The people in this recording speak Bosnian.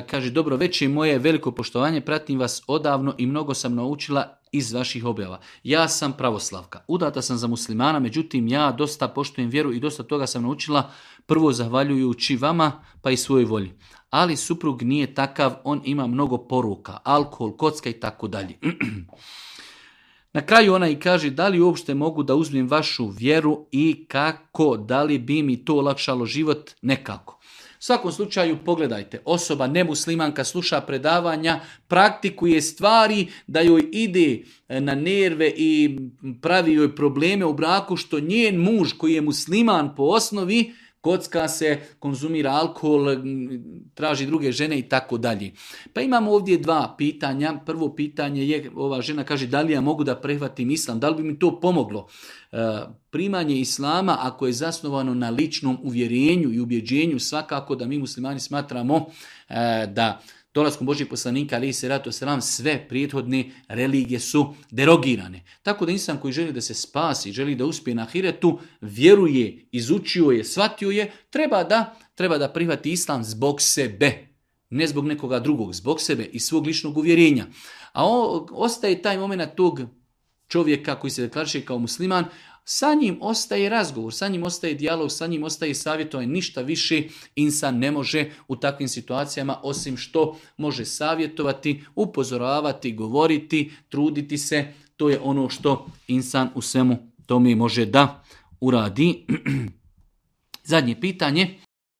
kaže, dobro večer, moje veliko poštovanje, pratim vas odavno i mnogo sam naučila iz vaših objava. Ja sam pravoslavka, udata sam za muslimana, međutim ja dosta poštujem vjeru i dosta toga sam naučila, prvo zahvaljujući vama pa i svojoj volji. Ali suprug nije takav, on ima mnogo poruka, alkohol, kocka i tako dalje. Na kraju ona i kaže, da li uopšte mogu da uzmem vašu vjeru i kako, da li bi mi to olakšalo život? Nekako. U svakom slučaju pogledajte, osoba nemuslimanka sluša predavanja, praktikuje stvari da joj ide na nerve i pravi joj probleme u braku što njen muž koji je musliman po osnovi, kocka se, konzumira alkohol, traži druge žene i tako dalje. Pa imamo ovdje dva pitanja. Prvo pitanje je, ova žena kaže, da li ja mogu da prihvatim islam, da li bi mi to pomoglo? Primanje islama, ako je zasnovano na ličnom uvjerenju i ubjeđenju, svakako da mi muslimani smatramo da dolaskom Božjeg poslanika, alejhi selatu vesselam, sve prethodne religije su derogirane. Tako da insan koji želi da se spasi, želi da uspije na ahiretu, vjeruje, izučio je, shvatio je, treba da prihvati islam zbog sebe, ne zbog nekoga drugog, zbog sebe i svog ličnog uvjerenja. A ostaje taj moment tog čovjeka koji se deklariše kao musliman, sa njim ostaje razgovor, sa njim ostaje dijalog, sa njim ostaje savjetovanje, ništa više insan ne može u takvim situacijama, osim što može savjetovati, upozoravati, govoriti, truditi se. To je ono što insan u svemu tome može da uradi. Zadnje pitanje.